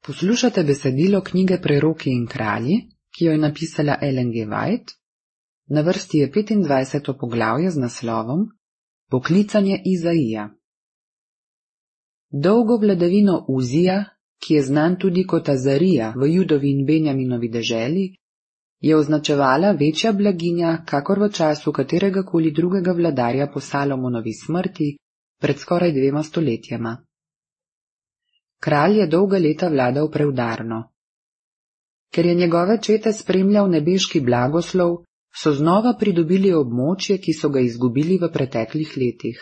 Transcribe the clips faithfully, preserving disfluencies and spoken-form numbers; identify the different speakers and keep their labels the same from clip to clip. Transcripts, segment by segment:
Speaker 1: Poslušate besedilo knjige Preroki in kralji, ki jo je napisala Ellen G. White. Na vrsti je petindvajseto poglavje z naslovom Poklicanje Izaija. Dolgo vladavino Uzija, ki je znan tudi kot Azarija v Judovi in Benjaminovi deželi, je označevala večja blaginja, kakor v času katerega koli drugega vladarja po Salomonovi smrti pred skoraj dvema stoletjema. Kralj je dolga leta vladal preudarno. Ker je njegove čete spremljal nebeški blagoslov, so znova pridobili območje, ki so ga izgubili v preteklih letih.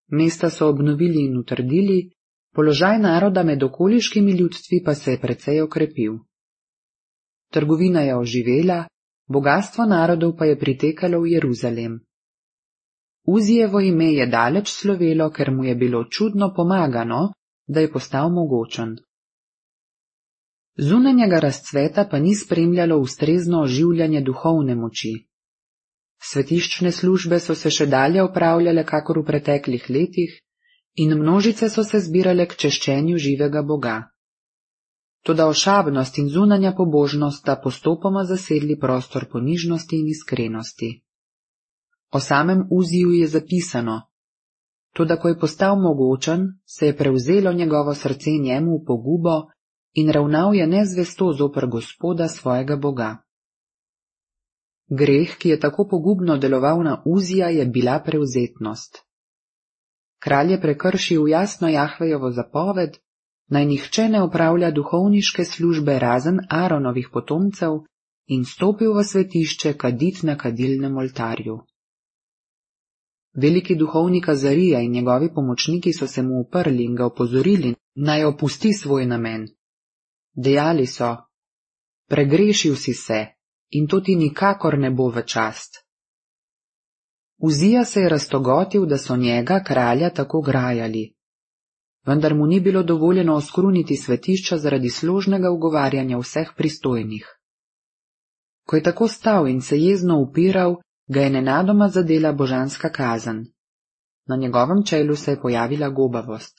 Speaker 1: Mesta so obnovili in utrdili, položaj naroda med okoliškimi ljudstvi pa se je precej okrepil. Trgovina je oživela, bogastvo narodov pa je pritekalo v Jeruzalem. Uzijevo ime je daleč slovelo, ker mu je bilo čudno pomagano, da je postal mogočen. Zunanjega razcveta pa ni spremljalo ustrezno oživljanje duhovne moči. Svetiščne službe so se še dalje opravljale kakor v preteklih letih in množice so se zbirale k češčenju živega Boga. Toda ošabnost in zunanja pobožnost sta postopoma zasedli prostor ponižnosti in iskrenosti. O samem Uziju je zapisano: toda ko je postal mogočen, se je prevzelo njegovo srce njemu v pogubo in ravnal je nezvesto zoper Gospoda svojega Boga. Greh, ki je tako pogubno deloval na Uzija, je bila prevzetnost. Kralj je prekršil jasno Jahvejovo zapoved, naj nihče ne opravlja duhovniške službe razen Aaronovih potomcev, in stopil v svetišče kadit na kadilnem oltarju. Veliki duhovnik Azarija in njegovi pomočniki so se mu uprli in ga opozorili, naj opusti svoj namen. Dejali so: pregrešil si se in to ti nikakor ne bo v čast. Uzija se je raztogotil, da so njega, kralja, tako grajali. Vendar mu ni bilo dovoljeno oskruniti svetišča zaradi složnega ugovarjanja vseh pristojnih. Ko je tako stal in se jezno upiral, ga je nenadoma zadela božanska kazen. Na njegovem čelu se je pojavila gobavost.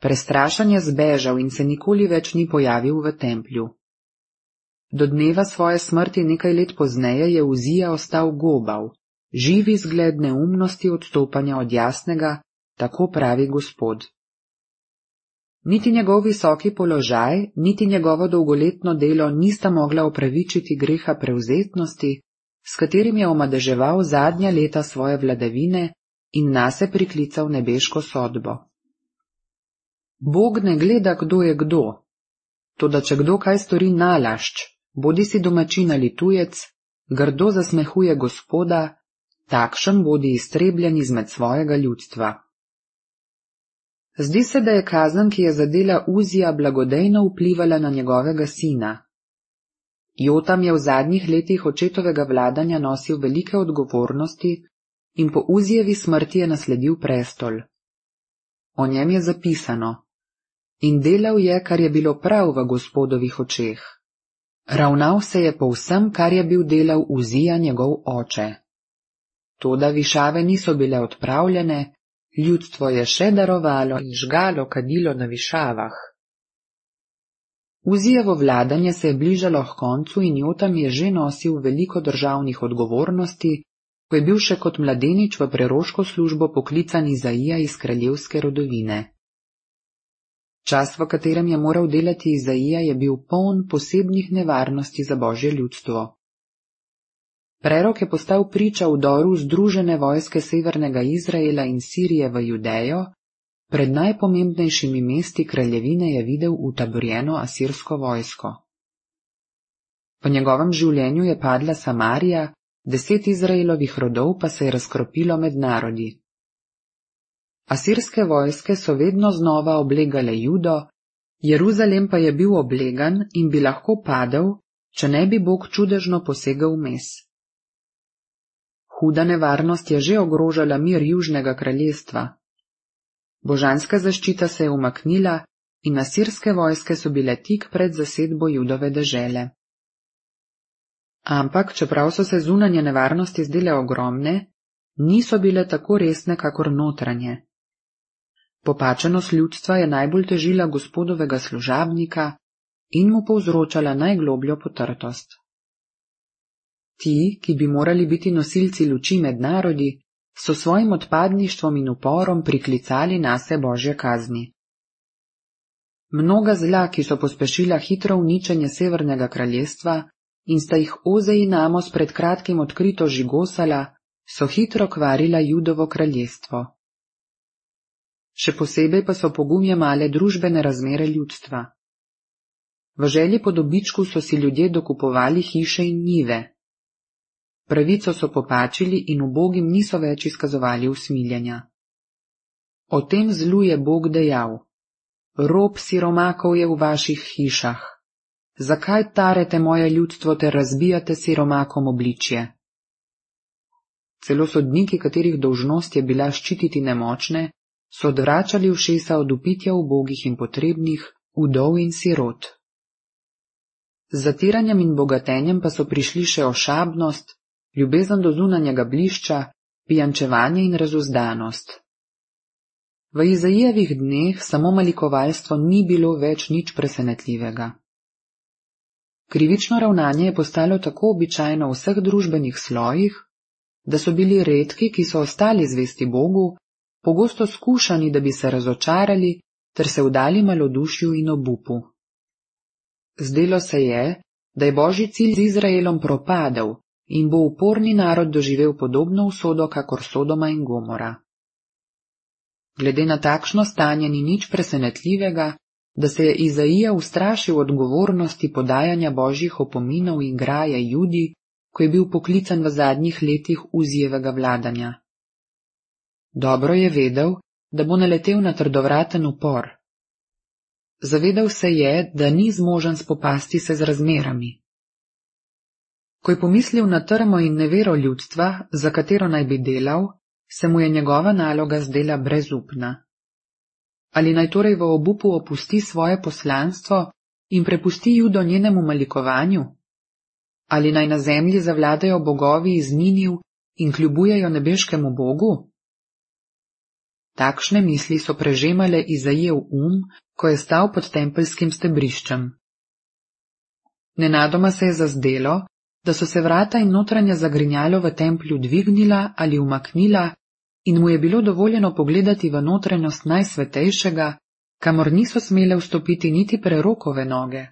Speaker 1: Prestrašen je zbežal in se nikoli več ni pojavil v templju. Do dneva svoje smrti nekaj let pozneje je Uzija ostal gobav, živi zgled neumnosti odstopanja od jasnega, tako pravi Gospod. Niti njegov visoki položaj, niti njegovo dolgoletno delo nista mogla opravičiti greha prevzetnosti, s katerim je omadeževal zadnja leta svoje vladavine in nase priklical nebeško sodbo. Bog ne gleda, kdo je kdo. Toda če kdo kaj stori nalašč, bodi si domačin ali tujec, grdo zasmehuje Gospoda, takšen bodi iztrebljen izmed svojega ljudstva. Zdi se, da je kazen, ki je zadela Uzija, blagodejno vplivala na njegovega sina. Jotam je v zadnjih letih očetovega vladanja nosil velike odgovornosti in po Uzijevi smrti je nasledil prestol. O njem je zapisano: in delal je, kar je bilo prav v Gospodovih očeh. Ravnal se je po vsem, kar je bil delal Uzija njegov oče. Toda višave niso bile odpravljene, ljudstvo je še darovalo in žgalo kadilo na višavah. Uzijevo vladanje se je bližalo h koncu in Jotam je že nosil veliko državnih odgovornosti, ko je bil še kot mladenič v preroško službo poklican Izaija iz kraljevske rodovine. Čas, v katerem je moral delati Izaija, je bil poln posebnih nevarnosti za Božje ljudstvo. Prerok je postal priča vdoru združene vojske severnega Izraela in Sirije v Judejo, pred najpomembnejšimi mesti kraljevine je videl utaborjeno asirsko vojsko. Po njegovem življenju je padla Samarija, deset Izraelovih rodov pa se je razkropilo med narodi. Asirske vojske so vedno znova oblegale Judo, Jeruzalem pa je bil oblegan in bi lahko padel, če ne bi Bog čudežno posegel vmes. Huda nevarnost je že ogrožala mir južnega kraljestva. Božanska zaščita se je umaknila in asirske vojske so bile tik pred zasedbo Judove dežele. Ampak, čeprav so se zunanje nevarnosti zdele ogromne, niso bile tako resne kakor notranje. Popačenost ljudstva je najbolj težila gospodovega služabnika in mu povzročala najglobljo potrtost. Ti, ki bi morali biti nosilci luči med narodi, so svojim odpadništvom in uporom priklicali nase Božje kazni. Mnoga zla, ki so pospešila hitro uničenje Severnega kraljestva in sta jih Ozej in Amos pred kratkim odkrito žigosala, so hitro kvarila Judovo kraljestvo. Še posebej pa so pogum jemale družbene razmere ljudstva. V želji po dobičku so si ljudje dokupovali hiše in njive. Pravico so popačili in ubogim niso več izkazovali usmiljenja. O tem zlu je Bog dejal: Rob siromakov je v vaših hišah. Zakaj tarete moje ljudstvo ter razbijate siromakom obličje? Celo sodniki, katerih dolžnost je bila ščititi nemočne, so odvračali ušesa od upitja ubogih in potrebnih, vdov in sirot. Z zatiranjem in bogatenjem pa so prišli še ošabnost, ljubezen do zunanjega blišča, pijančevanje in razuzdanost. V Izajijevih dneh samo malikovalstvo ni bilo več nič presenetljivega. Krivično ravnanje je postalo tako običajno v vseh družbenih slojih, da so bili redki, ki so ostali zvesti Bogu, pogosto skušani, da bi se razočarali ter se vdali malodušju in obupu. Zdelo se je, da je Božji cilj z Izraelom propadel in bo uporni narod doživel podobno usodo kakor Sodoma in Gomora. Glede na takšno stanje ni nič presenetljivega, da se je Izaija ustrašil odgovornosti podajanja Božjih opominov in graje Judi, ko je bil poklican v zadnjih letih Uzijevega vladanja. Dobro je vedel, da bo naletel na trdovraten upor. Zavedal se je, da ni zmožen spopasti se z razmerami. Ko je pomislil na trmo in nevero ljudstva, za katero naj bi delal, se mu je njegova naloga zdela brezupna. Ali naj torej v obupu opusti svoje poslanstvo in prepusti Judo njenemu malikovanju? Ali naj na zemlji zavladajo bogovi iz Niniv in kljubujejo nebeškemu Bogu? Takšne misli so prežemale Izaijev um, ko je stal pod tempeljskim stebriščem. Nenadoma se je zazdelo, da so se vrata in notranja zagrinjalo v templju dvignila ali umaknila in mu je bilo dovoljeno pogledati v notranjost najsvetejšega, kamor niso smele vstopiti niti prerokove noge.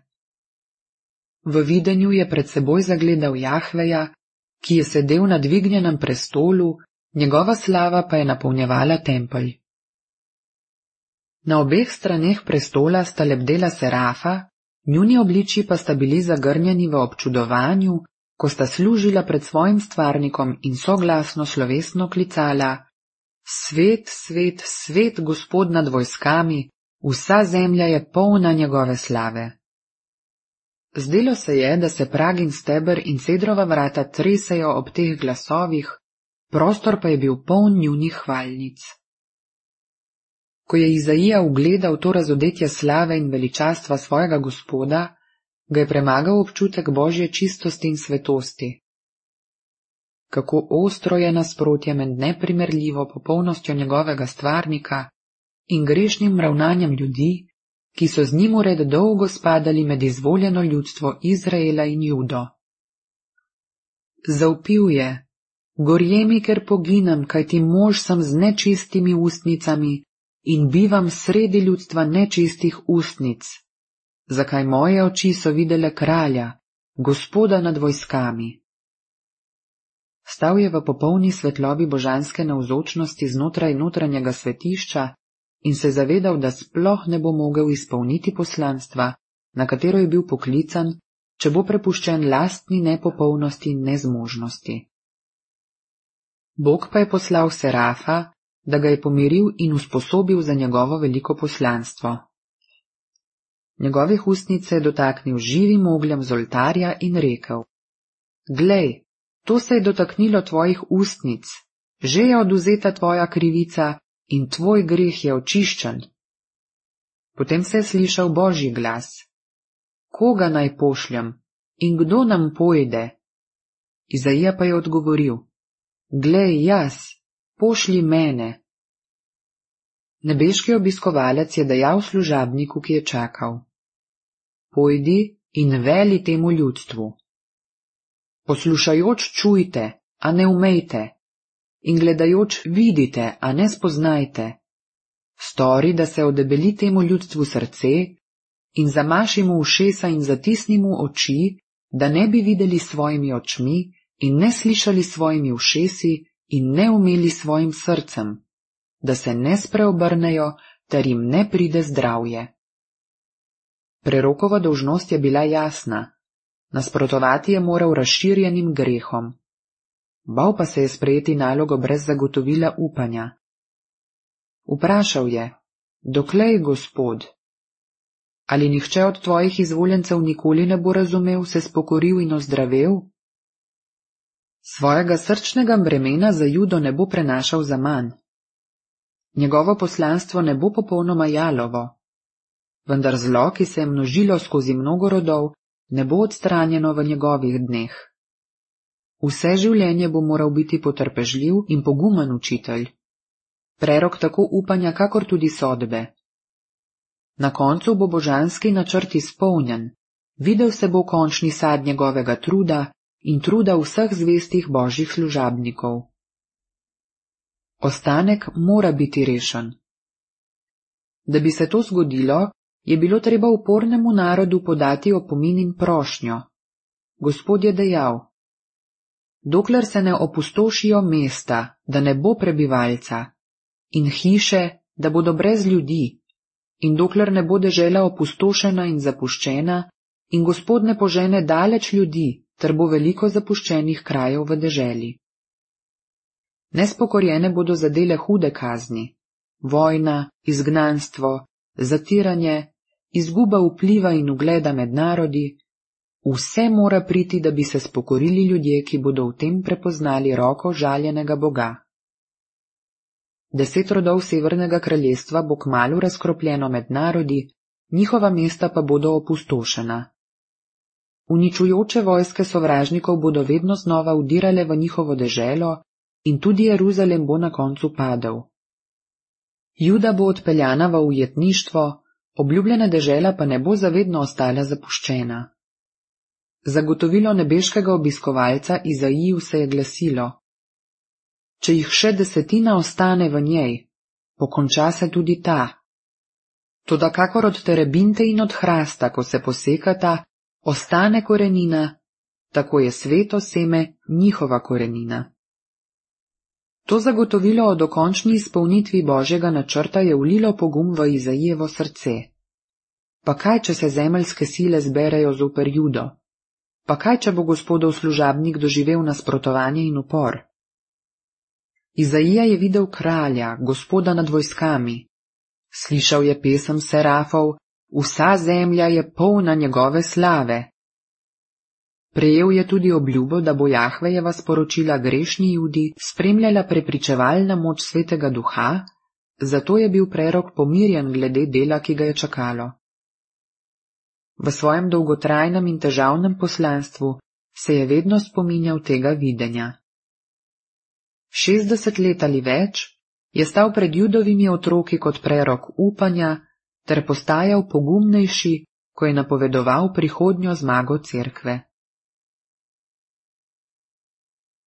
Speaker 1: V videnju je pred seboj zagledal Jahveja, ki je sedel na dvignjenem prestolu, njegova slava pa je napolnjevala tempelj. Na obeh straneh prestola sta lebdela serafa, njuni obličji pa sta bili zagrnjeni v občudovanju, ko sta služila pred svojim stvarnikom in soglasno slovesno klicala: Svet, svet, svet Gospod nad vojskami, vsa zemlja je polna njegove slave. Zdelo se je, da se prag in steber in cedrova vrata tresejo ob teh glasovih, prostor pa je bil poln njunih hvalnic. Ko je Izaija ugledal to razodetje slave in veličastva svojega Gospoda, ga je premagal občutek Božje čistosti in svetosti. Kako ostro je nasprotje med neprimerljivo popolnostjo njegovega stvarnika in grešnim ravnanjem ljudi, ki so z njim ured dolgo spadali med izvoljeno ljudstvo Izraela in Judo. Zavpil je: Gorje mi, ker poginem, kajti mož sem z nečistimi ustnicami in bivam sredi ljudstva nečistih ustnic. Zakaj moje oči so videle kralja, Gospoda nad vojskami? Stal je v popolni svetlobi božanske navzočnosti znotraj notranjega svetišča in se zavedal, da sploh ne bo mogel izpolniti poslanstva, na katero je bil poklican, če bo prepuščen lastni nepopolnosti in nezmožnosti. Bog pa je poslal serafa, da ga je pomiril in usposobil za njegovo veliko poslanstvo. Njegovih ustnic se je dotaknil živim ogljem z oltarja in rekel: Glej, to se je dotaknilo tvojih ustnic, že je odvzeta tvoja krivica in tvoj greh je očiščen. Potem se je slišal Božji glas: Koga naj pošljem in kdo nam pojde? Izaija pa je odgovoril: Glej, jaz, pošlji mene. Nebeški obiskovalec je dejal služabniku, ki je čakal: Pojdi in veli temu ljudstvu. Poslušajoč čujte, a ne umejte, in gledajoč vidite, a ne spoznajte. Stori, da se odebeli temu ljudstvu srce, in zamaši mu ušesa in zatisni mu oči, da ne bi videli svojimi očmi in ne slišali svojimi ušesi in ne umeli svojim srcem, da se ne spreobrnejo, ter jim ne pride zdravje. Prerokova dolžnost je bila jasna, nasprotovati je moral razširjenim grehom. Bal pa se je sprejeti nalogo brez zagotovila upanja. Vprašal je: Doklej, Gospod? Ali nihče od tvojih izvoljencev nikoli ne bo razumel, se spokoril in ozdravel? Svojega srčnega bremena za Judo ne bo prenašal zaman. Njegovo poslanstvo ne bo popolnoma jalovo, vendar zlo, ki se je množilo skozi mnogo rodov, ne bo odstranjeno v njegovih dneh. Vse življenje bo moral biti potrpežljiv in pogumen učitelj, prerok tako upanja kakor tudi sodbe. Na koncu bo božanski načrt izpolnjen, videl se bo končni sad njegovega truda in truda vseh zvestih božjih služabnikov. Ostanek mora biti rešen. Da bi se to zgodilo, je bilo treba upornemu narodu podati opomin in prošnjo. Gospod je dejal: Dokler se ne opustošijo mesta, da ne bo prebivalca, in hiše, da bodo brez ljudi, in dokler ne bo dežela opustošena in zapuščena, in Gospod ne požene daleč ljudi, ter bo veliko zapuščenih krajev v deželi. Nespokorjene bodo zadele hude kazni, vojna, izgnanstvo, zatiranje, izguba vpliva in ugleda med narodi. Vse mora priti, da bi se spokorili ljudje, ki bodo v tem prepoznali roko žaljenega Boga. Deset rodov Severnega kraljestva bo kmalu razkropljeno med narodi, njihova mesta pa bodo opustošena. Uničujoče vojske sovražnikov bodo vedno znova vdirale v njihovo deželo in tudi Jeruzalem bo na koncu padel. Juda bo odpeljana v ujetništvo, obljubljena dežela pa ne bo zavedno ostala zapuščena. Zagotovilo nebeškega obiskovalca Izaiju se je glasilo: Če jih še desetina ostane v njej, pokonča se tudi ta. Toda kakor od terebinte in od hrasta, ko se posekata, ostane korenina, tako je sveto seme njihova korenina. To zagotovilo o dokončni izpolnitvi Božjega načrta je vlilo pogum v Izaijevo srce. Pa kaj, če se zemeljske sile zberejo zoper Judo? Pa kaj, če bo Gospodov služabnik doživel nasprotovanje in upor? Izaija je videl kralja, Gospoda nad vojskami. Slišal je pesem serafov: Vsa zemlja je polna njegove slave. Prejel je tudi obljubo, da bo Jahvejeva sporočila grešni Judi spremljala prepričevalna moč Svetega Duha, zato je bil prerok pomirjen glede dela, ki ga je čakalo. V svojem dolgotrajnem in težavnem poslanstvu se je vedno spominjal tega videnja. Šestdeset let ali več je stal pred Judovimi otroki kot prerok upanja ter postajal pogumnejši, ko je napovedoval prihodnjo zmago cerkve.